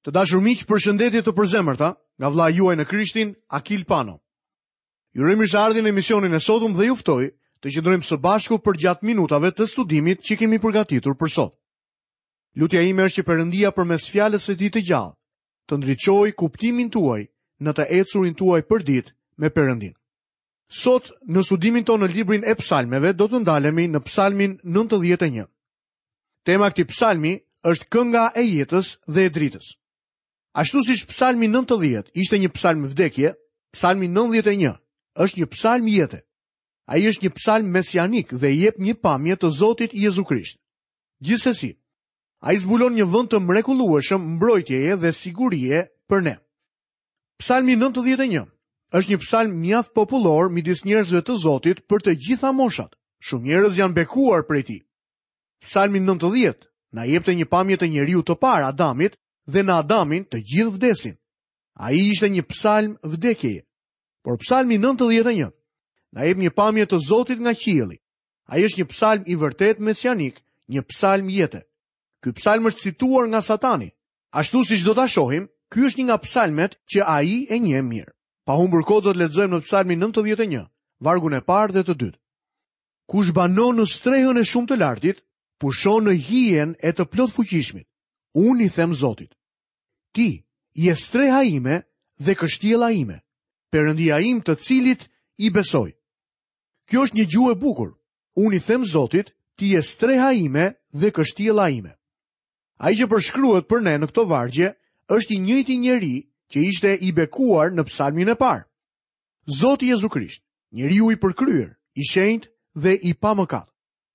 Të dashur miq, përshëndetje të përzemërta nga vëllai juaj në Krishtin, Akil Pano. Ju uroj mirëseardhjen në emisionin e sotëm dhe ju ftoj të qëndrojmë së bashku përgjatë minutave të studimit që kemi përgatitur për sot. Lutja ime është që Perëndia përmes fjalës së tij të gjallë të ndriçojë kuptimin tuaj në të ecurin tuaj përditë me Perëndinë. Sot në studimin tonë në librin e Psalmeve do të ndalemi në Psalmin 91. Tema e këtij psalmi është kënga e jetës dhe e dritës. Ashtu siç psalmi 90 ishte një psalm vdekje, psalmi 91 është një psalm jete. Ai është një psalm mesianik dhe jep një pamje të Zotit Jezu Krisht. Gjithsesi, ai zbulon një vend të mrekullueshëm mbrojtjeje dhe sigurie për ne. Psalmi 91 është një psalm mjaft popullor midis njerëzve të Zotit për të gjitha moshat. Shumë njerëz janë bekuar prej tij. Psalmi 90 na jepte një pamje të njeriut të parë, Adamit, dhe në Adamin të gjithë vdesin. Ai ishte një psalm vdekjeje. Por psalmi 91 na jep një pamje të Zotit nga qielli. Ai është një psalm i vërtetë mesianik, një psalm jete. Ky psalm është cituar nga Satani. Ashtu siç do ta shohim, ky është një nga psalmet që ai e njeh mirë. Pa humbur kohë do të lexojmë në psalmin 91, vargun e parë dhe të dytë. Kush banon në strehën e shumë të lartit, pushon në hijen e të plotfuqishmit. Unë i them Zotit. Ti je streha ime dhe kështjella ime, Perëndia im të cilit i besoj. Kjo është një gjuhë e bukur. Unë i them Zotit, ti je streha ime dhe kështjella ime. Ai që përshkruhet për ne në këto vargje është i njëjti njeri që ishte i bekuar në psalmin e parë. Zoti Jezu Krisht, njeriu i përkryer, i shenjtë dhe i pamëkat.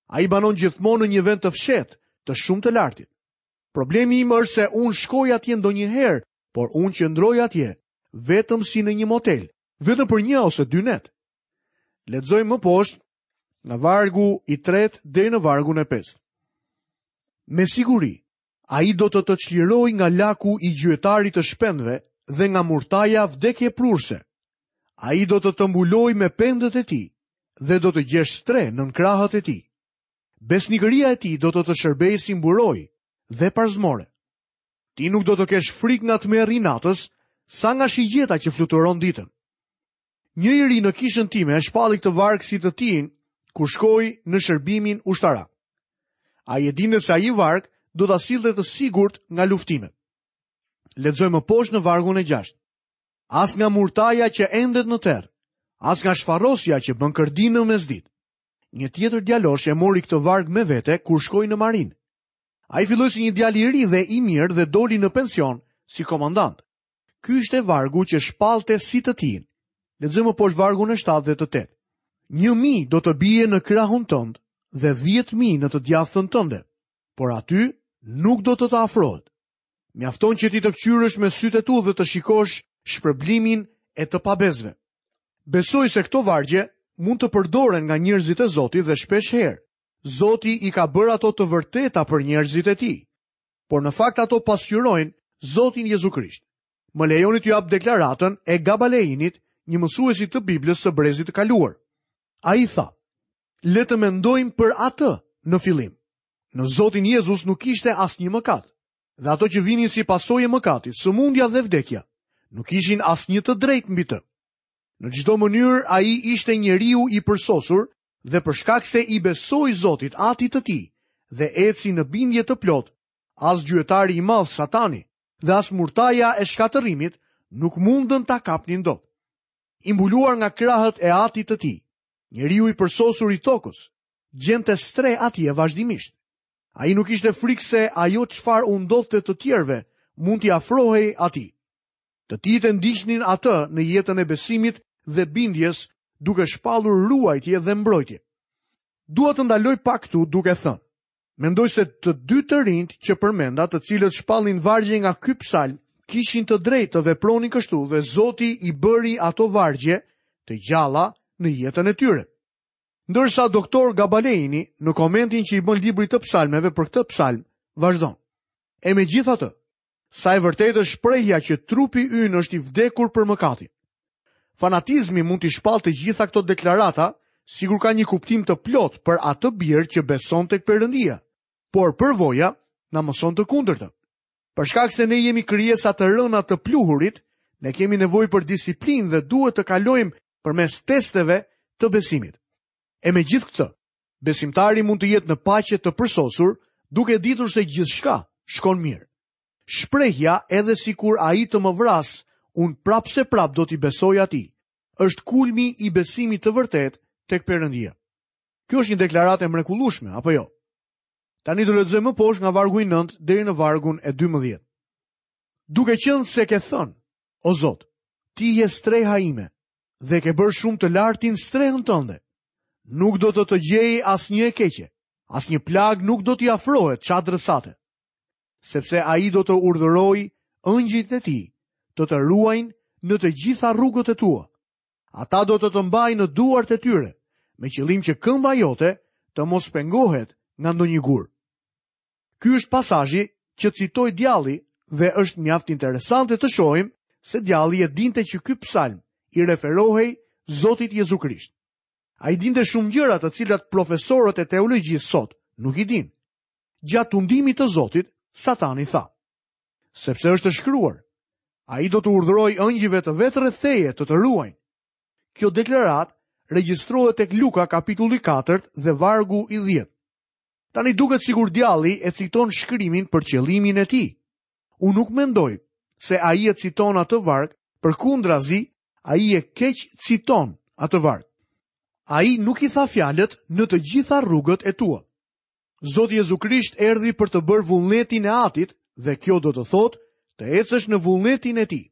Ai banon gjithmonë në një vend të fshehtë, të shumë të lartit. Problemi im është se unë shkoj atje ndonjëherë, por unë qëndroj atje vetëm si në një motel, vetëm për një ose dy net. Lexojmë më poshtë nga vargu i tretë deri në vargun e pestë. Me siguri, ai do të të çlirojë nga laku i gjuetarit të shpendëve dhe nga murtaja vdekjeprurëse. Ai do të të mbulojë me pendët e tij dhe do të gjesh strehë nën krahët e tij. Besnikëria e tij do të të shërbejë si mburojë dhe parzmore. Ti nuk do të kesh frikë nga tmerri i natës, sa nga shigjeta që fluturon ditën. Një i ri në kishën time e shpalli këtë varg si të tijin kur shkoi në shërbimin ushtarak. Ai e dinte se ai varg do ta sillte të sigurt nga luftimet. Lexojmë më poshtë në vargun e 6. As nga murtaja që endet në terr, as nga shfarosja që bën kërdinë në mesditë. Një tjetër djalosh e mori këtë varg me vete kur shkoi në marinë. Ai filloi si një djalë i ri dhe i mirë dhe doli në pension si komandant. Ky ishte vargu që shpallte si të tijin. Lexojmë më poshtë vargun e 7 dhe të 8. 1000 do të bie në krahun tënd dhe 10000 në të djathtën tënde, por aty nuk do të të afrohet. Mjafton që ti të këqyrësh me sytë e tu dhe të shikosh shpërblimin e të pabesëve. Besoj se këto vargje mund të përdoren nga njerëzit e Zotit dhe shpeshherë. Zoti i ka bërë ato të vërteta për njerëzit e tij. Por në fakt ato pasqyrojnë Zotin Jezu Krisht. Më lejoni t'ju jap deklaratën e Gabaleinit, një mësuesi të Biblës së brezit të kaluar. Ai tha: "Le të mendojmë për atë në fillim. Në Zotin Jezus nuk kishte asnjë mëkat. Dhe ato që vinin si pasojë e mëkatit, sëmundja dhe vdekja, nuk kishin asnjë të drejtë mbi të. Në çdo mënyrë ai ishte njeriu i përsosur dhe për shkak se i besoi Zotit, Atit të tij, dhe eci në bindje të plotë, as gjuetari i madh Satani dhe as murtaja e shkatërrimit nuk mundën ta kapnin dot. I mbuluar nga krahët e Atit të tij, njeriu i përsosur i tokës, gjente strehë atje vazhdimisht. Ai nuk kishte frikë se ajo çfarë u ndodhte të tjerëve mund t'i afrohej atij. Të tijtë e ndiqnin atë në jetën e besimit dhe bindjes, duke shpallur ruajtje dhe mbrojtje. Dua të ndaloj pak këtu duke thënë, mendoj se të dy të rinjtë që përmenda, të cilët shpallnin vargje nga ky psalm, kishin të drejtë të vepronin kështu dhe Zoti i bëri ato vargje të gjalla në jetën e tyre. Ndërsa doktor Gabaleini në komentin që i bën librit të psalmeve për këtë psalm, vazhdon. E megjithatë, Sa e vërtetë është shprehja që trupi ynë është i vdekur për mëkatin. Fanatizmi mund t'i shpallë të gjitha këto deklarata, sikur ka një kuptim të plotë për atë bir që beson tek Perëndia. Por përvoja na mëson të kundërtën. Për shkak se ne jemi krijesa të rëna të pluhurit, ne kemi nevojë për disiplinë dhe duhet të kalojmë përmes testeve të besimit. E megjithëkëtë, besimtari mund të jetë në paqe të përsosur, duke ditur se gjithçka shkon mirë. Shprehja edhe sikur ai të më vrasë, unë prapëseprapë do t'i besoj atij. Është kulmi i besimit të vërtetë tek Perëndia. Kjo është një deklaratë e mrekullueshme, apo jo? Tani do lexojmë më poshtë nga vargu i 9 deri në vargun e 12. Duke qenë se ke thënë, o Zot, ti je streha ime dhe ke bërë shumë të lartin strehën tënde. Nuk do të të gjejë asnjë e keqe, asnjë plagë nuk do t'i afrohet çadrës sate. Sepse ai do të urdhërojë engjëjt e tij, të të ruajnë në të gjitha rrugët e tua. Ata do të të mbajnë në duart e tyre, me qëllim që këmba jote të mos pengohet nga ndonjë gur. Ky është pasazhi që citoi djalli dhe është mjaft interesante të shohim se djalli e dinte që ky psalm i referohej Zotit Jezu Krisht. Ai dinte shumë gjëra të cilat profesorët e teologjisë sot nuk i dinë. Gjatë tundimit të Zotit, Satani tha: Sepse është shkruar, ai do t'u urdhërojë engjëjve të vet rreth teje të të ruajnë. Kjo deklaratë regjistrohet tek Luka kapitulli 4 dhe vargu i 10. Tani duket sikur djalli e citon shkrimin për qëllimin e tij. Unë nuk mendoj se ai e citon atë varg, përkundrazi ai e keqciton atë varg. Ai nuk i tha fjalët në të gjitha rrugët e tua. Zoti Jezu Krisht erdhi për të bërë vullnetin e Atit dhe kjo do të thotë të ecësh në vullnetin e tij.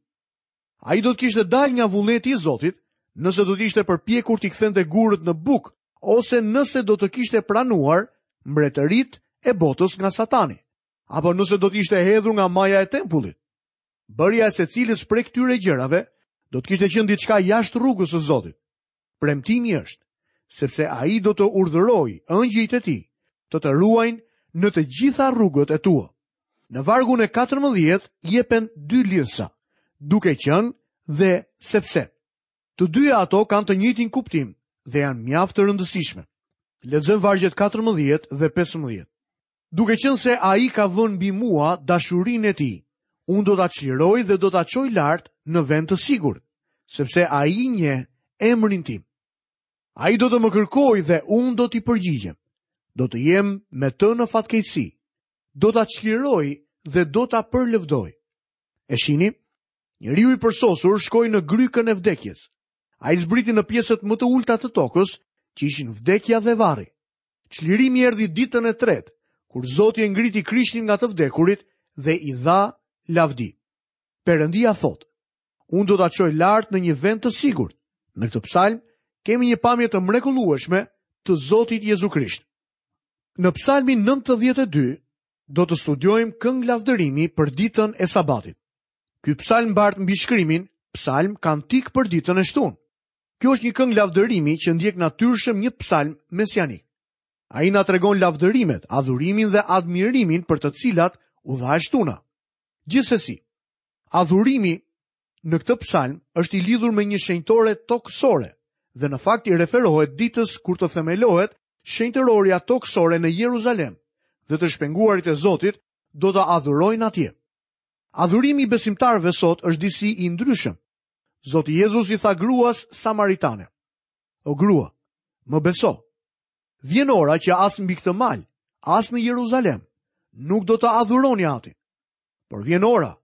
Ai do të kishte dalë nga vullneti i Zotit nëse do të ishte përpjekur t'i kthente gurët në bukë ose nëse do të kishte pranuar mbretëritë e botës nga Satani, apo nëse do të ishte hedhur nga maja e tempullit. Bërja e secilës prej këtyre gjërave do të kishte qenë diçka jashtë rrugës së Zotit. Premtimi është, sepse ai do të urdhërojë engjëjt e tij të të ruajnë në të gjitha rrugët e tua. Në vargun e 14 jepen dy lidhëza, duke qenë dhe sepse. Të dyja ato kanë të njëjtin kuptim dhe janë mjaft të rëndësishme. Lexojmë vargjet 14 dhe 15. Duke qenë se ai ka vënë mbi mua dashurinë e tij, unë do ta çliroj dhe do ta çoj lart në vend të sigurt, sepse ai njeh emrin tim. Ai do të më kërkojë dhe unë do t'i përgjigjem. Do të jem me të në fatkeqësi. Do ta çliroj dhe do ta përlëvdoj. E shihni? Njeriu i përsosur shkoi në grykën e vdekjes. Ai zbriti në pjesët më të ulëta të tokës, që ishin vdekja dhe varri. Çlirimi erdhi ditën e tretë, kur Zoti e ngriti Krishtin nga të vdekurit dhe i dha lavdi. Perëndia thotë, unë do ta çoj lart në një vend të sigurt. Në këtë psalm kemi një pamje të mrekullueshme të Zotit Jezu Krisht. Në psalmin 92 do të studiojmë këngë lavdërimi për ditën e sabatit. Ky psalm mbart mbishkrimin Psalm kantik për ditën e shtunë. Kjo është një këngë lavdërimi që ndjek natyrshëm një psalm mesianik. Ai na tregon lavdërimet, adhurimin dhe admirimin për të cilat u dha e shtuna. Gjithsesi, adhurimi në këtë psalm është i lidhur me një shenjtore tokësore dhe në fakt i referohet ditës kur të themelohet shenjtërorja tokësore në Jeruzalem dhe të shpenguarit e Zotit do të adhurojnë atje. Adhurimi i besimtarëve sot është disi i ndryshëm. Zoti Jezus i tha gruas samaritane, O grua, më beso, vjen ora që as mbi këtë mal, as në Jeruzalem, nuk do të adhuroni Atin. Por vjen ora,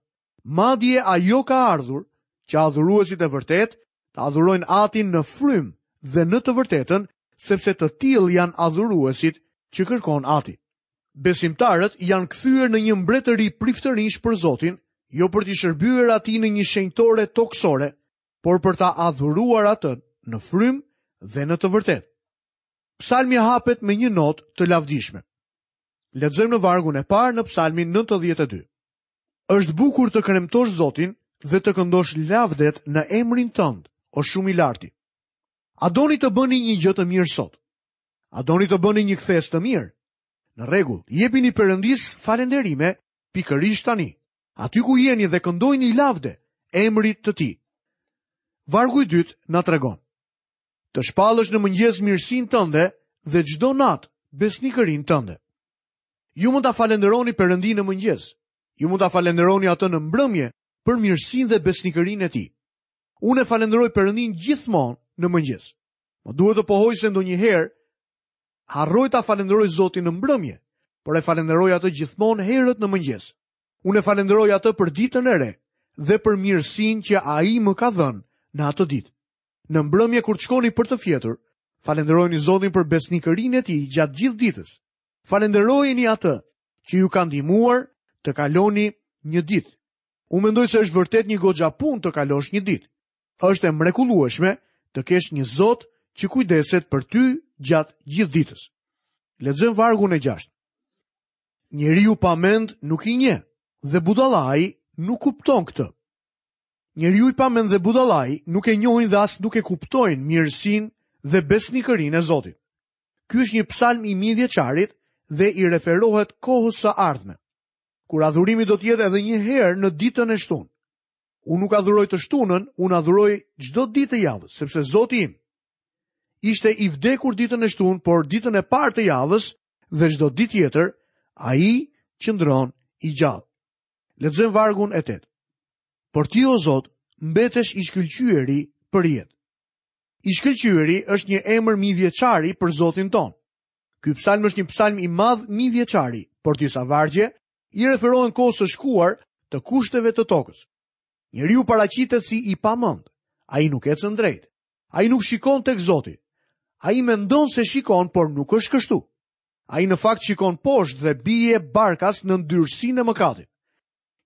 madje ajo ka ardhur, që adhuruesit e vërtetë të adhurojnë Atin në frymë dhe në të vërtetën, sepse të tillë janë adhuruesit që kërkon Ati. Besimtarët janë kthyer në një mbretëri priftërinjsh për Zotin, jo për t'i shërbyer atij në një shenjtore tokësore, por për ta adhuruar atë në frymë dhe në të vërtetë. Psalmi hapet me një notë të lavdishme. Lexojmë në vargun e parë në Psalmin 92. Është bukur të kremtosh Zotin dhe të këndosh lavdet në emrin tënd, o shumë i larti. A doni të bëni një gjë të mirë sot? A doni të bëni një kthesë të mirë? Në rregull, jepini Perëndisë falënderime pikërisht tani, aty ku jeni dhe këndojini lavde emrit të tij. Vargu i dytë na tregon. Të shpallësh në mëngjes mirësinë tënde dhe çdo natë besnikërinë tënde. Ju mund ta falënderoni Perëndinë në mëngjes. Ju mund ta falënderoni atë në mbrëmje për mirësinë dhe besnikërinë e tij. Unë e falënderoj Perëndinë gjithmonë në mëngjes. Më duhet të pohoj se ndonjëherë harroj ta falënderoj Zotin në mbrëmje, por e falënderoj atë gjithmonë herët në mëngjes. Unë e falënderoj atë për ditën e re dhe për mirësinë që ai më ka dhënë në atë ditë. Në mbrëmje kur të shkoni për të fjetur, falënderojeni Zotin për besnikërinë e tij gjatë gjithë ditës. Falënderojeni atë që ju ka ndihmuar të kaloni një ditë. Unë mendoj se është vërtet një goxha punë të kalosh një ditë. Është e mrekullueshme të kesh një Zot që kujdeset për ty gjatë gjithë ditës. Lexojmë vargun e 6. Njeriu pa mend nuk i njeh dhe budallai nuk kupton këtë. Njeriu i pamend dhe budallai nuk e njohin dhe as nuk e kuptojnë mirësinë dhe besnikërinë e Zotit. Ky është një psalm i mijëvjeçarit dhe i referohet kohës së ardhme. Kur adhurimi do të jetë edhe një herë në ditën e shtunë. Unë nuk adhuroj të shtunën, unë adhuroj çdo ditë të javës, sepse Zoti im ishte i vdekur ditën e shtunë, por ditën e parë të javës dhe çdo ditë tjetër ai qëndron i gjallë. Lexojmë vargun e 8. Por ti o Zot, mbetesh i shkëlqyeri për jetë. I shkëlqyeri është një emër mijëvjeçari për Zotin tonë. Ky psalm është një psalm i madh mijëvjeçari, por disa vargje i referohen kohës së shkuar të kushteve të tokës. Njeriu paraqitet si i pamend. Ai nuk ecën drejt. Ai nuk shikon tek Zoti. Ai mendon se shikon, por nuk është kështu. Ai në fakt shikon poshtë dhe bie barkas në ndyrësinë e mëkatit.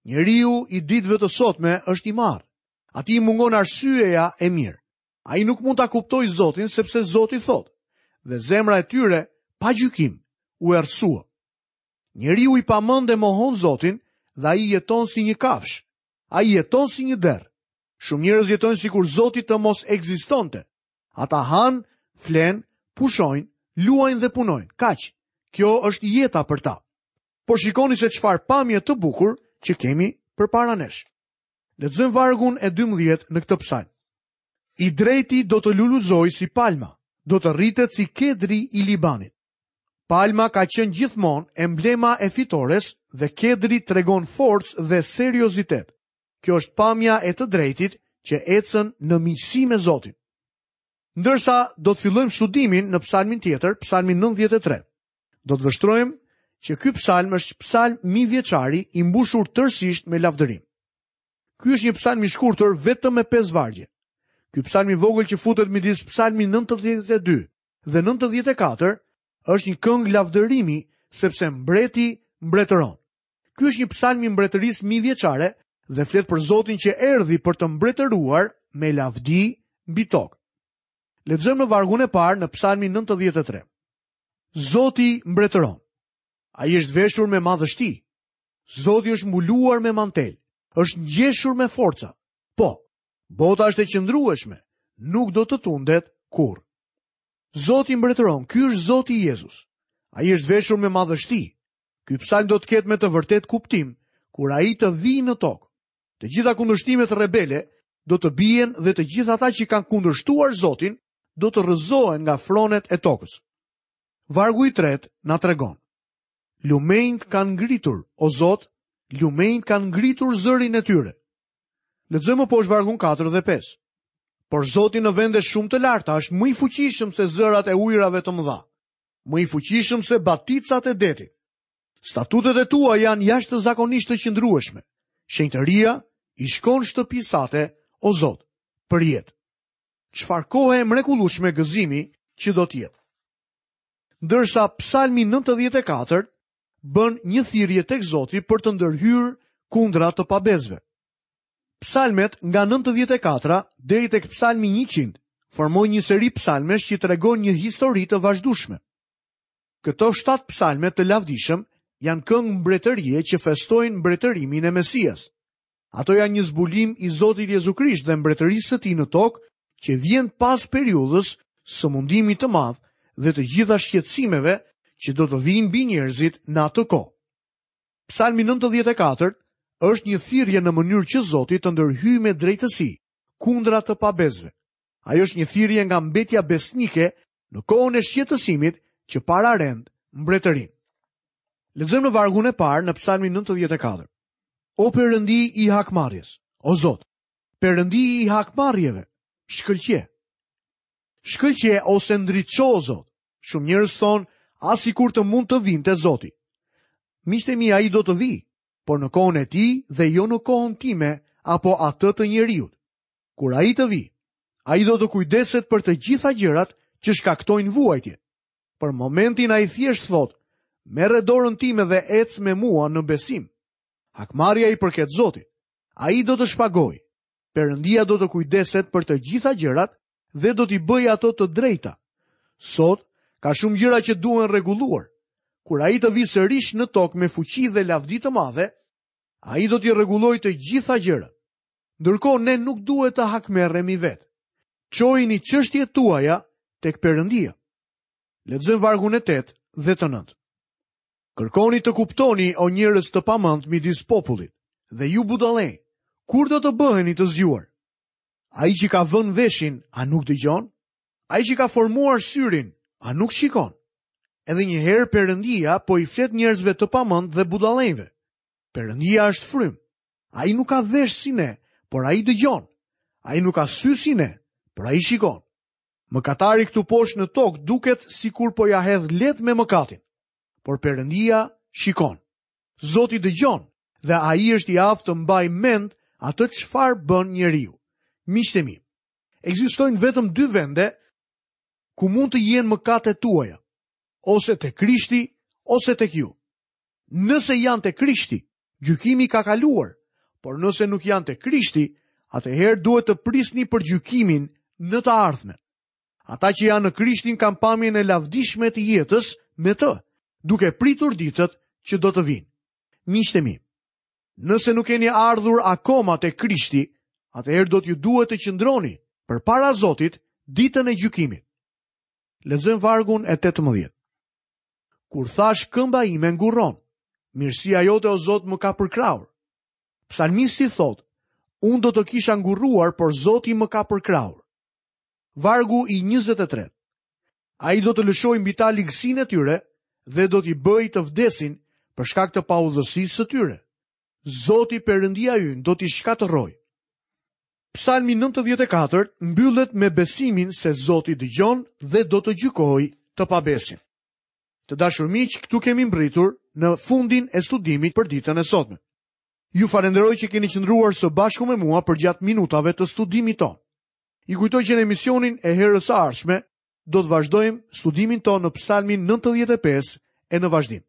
Njeriu i ditëve të sotme është i marrë. Atij i mungon arsyeja e mirë. Ai nuk mund ta kuptojë Zotin sepse Zoti thotë, dhe zemra e tyre pa gjykim u errësua. Njeriu i pamend e mohon Zotin dhe ai jeton si një kafshë. Ai jeton si një derr. Shumë njerëz jetojnë sikur Zoti të mos ekzistonte. Ata hanë, flenë, pushojnë, luajnë dhe punojnë. Kaq. Kjo është jeta për ta. Por shikoni se çfarë pamje të bukur që kemi përpara nesh. Lexojmë vargun e 12 në këtë psalm. I drejti do të lulëzojë si palma, do të rritet si kedri i Libanit. Palma ka qenë gjithmonë emblema e fitores dhe kedri tregon forcë dhe seriozitet. Kjo është pamja e të drejtit që ecën në miqësi me Zotin. Ndërsa do të fillojmë studimin në psalmin tjetër, psalmin 93. Do të vështrojmë që ky psalm është psalm mijëvjeçari i mbushur tërësisht me lavdërim. Ky është një psalm i shkurtër vetëm me 5 vargje. Ky psalm i vogël që futet midis psalmit 92 dhe 94 është një këngë lavdërimi sepse mbreti mbretëron. Ky është një psalm i mbretërisë mijëvjeçare dhe flet për Zotin që erdhi për të mbretëruar me lavdi mbi tokë. Lexojmë në vargun e parë në psalmin 93. Zoti mbretëron. Ai është veshur me madhështi. Zoti është mbuluar me mantel, është ngjeshur me forca. Po, bota është e qëndrueshme, nuk do të tundet kurrë. Zoti mbretëron, ky është Zoti Jezus. Ai është veshur me madhështi. Ky psalm do të ketë me të vërtetë kuptim kur ai të vijë në tokë. Të gjitha kundërshtimet rebele do të bien dhe të gjithë ata që kanë kundërshtuar Zotin do të rrëzohen nga fronet e tokës. Vargu i tretë na tregon. Lumenjtë kanë ngritur, o Zot, lumenjtë kanë ngritur zërin e tyre. Lexojmë më poshtë vargun 4 dhe 5. Por Zoti në vende shumë të larta është më i fuqishëm se zërat e ujërave të mëdha, më i fuqishëm se baticat e detit. Statutet e tua janë jashtëzakonisht të qëndrueshme. Shenjtëria i shkon shtëpisë sate, o Zot, për jetë. Çfarë kohe e mrekullueshme gëzimi që do të jetë. Ndërsa Psalmi 94 bën një thirrje tek Zoti për të ndërhyrë kundra të pabesëve. Psalmet nga 94 deri tek Psalmi 100 formojnë një seri psalmesh që tregojnë një histori të vazhdueshme. Këto 7 psalme të lavdishëm janë këngë mbretërie që festojnë mbretërimin e Mesias. Ato janë një zbulim i Zotit Jezu Krisht dhe mbretërisë së tij në tokë që vjen pas periudhës së mundimit të madh dhe të gjitha shqetësimeve që do të vijnë mbi njerëzit në atë kohë. Psalmi 94 është një thirrje në mënyrë që Zoti të ndërhyjë me drejtësi kundra të pabesëve. Ajo është një thirrje nga mbetja besnike në kohën e shqetësimit që pararend mbretërinë. Lexojmë në vargun e parë në Psalmin 94. O Perëndi i hakmarrjes, o Zot, Perëndi i hakmarrjeve, shkëlqe. Shkëlqe ose ndriço o Zot. Shumë njerëz thonë, ah sikur të mund të vinte Zoti. Miqtë e mi, ai do të vijë, por në kohën e tij dhe jo në kohën time apo atë të njeriut. Kur ai të vijë, ai do të kujdeset për të gjitha gjërat që shkaktojnë vuajtje. Për momentin ai thjesht thotë, merre dorën time dhe ec me mua në besim. Hakmarrja i përket Zotit. Ai do të shpagojë. Perëndia do të kujdeset për të gjitha gjërat dhe do t'i bëjë ato të drejta. Sot ka shumë gjëra që duhen rregulluar. Kur ai të vijë sërish në tokë me fuqi dhe lavdi të madhe, ai do t'i rregullojë të gjitha gjërat. Ndërkohë ne nuk duhet të hakmerremi vetë. Çojini çështjet tuaja tek Perëndia. Lexojmë vargun e 8 dhe të 9. Kërkoni të kuptoni o njerëz të pamend midis popullit dhe ju budallenj, kur do të bëheni të zgjuar? Ai që ka vënë veshin, a nuk dëgjon? Ai që ka formuar syrin, a nuk shikon? Edhe një herë Perëndia po i flet njerëzve të pamend dhe budallenjve. Perëndia është frymë. Ai nuk ka vesh si ne, por ai dëgjon. Ai nuk ka sy si ne, por ai shikon. Mëkatari këtu poshtë në tokë duket sikur po ia hedh lehtë me mëkatin. Por Perëndia shikon. Zoti dëgjon dhe ai është i aftë të mbajë mend atë çfarë bën njeriu. Miqtë e mi, ekzistojnë vetëm dy vende ku mund të jenë mëkatet tuaja, ose te Krishti ose tek ju. Nëse janë te Krishti, gjykimi ka kaluar, por nëse nuk janë te Krishti, atëherë duhet të prisni për gjykimin në të ardhmen. Ata që janë në Krishtin kanë pamjen e lavdishme të jetës me të, duke pritur ditët që do të vijnë. Miqtë e mi, nëse nuk keni ardhur akoma te Krishti, atëherë do t'ju duhet të qëndroni përpara Zotit ditën e gjykimit. Lexojmë vargun e 18. Kur thashë këmba ime ngurron, mirësia jote o Zot më ka përkrahur. Psalmisti thotë, unë do të kisha ngurruar, por Zoti më ka përkrahur. Vargu i 23. Ai do të lëshojë mbi ta ligësinë e tyre dhe do t'i bëjë të vdesin për shkak të paudhësisë së tyre. Zoti Perëndia ynë do t'i shkatërrojë. Psalmi 94 mbyllet me besimin se Zoti dëgjon dhe do të gjykojë të pabesin. Të dashur miq, këtu kemi mbërritur në fundin e studimit për ditën e sotme. Ju falenderoj që keni qëndruar së bashku me mua përgjatë minutave të studimit tonë. Ju kujtoj që në emisionin e herës së ardhshme do të vazhdojmë studimin tonë në Psalmin 95 e në vazhdim.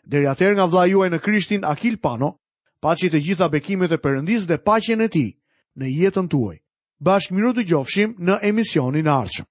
Deri atëherë nga vëllai juaj në Krishtin Akil Pano, paçi të gjitha bekimet e Perëndisë dhe paqen e tij në jetën tuaj. Bashkë mirudëgjofshim në emisionin e ardhshëm.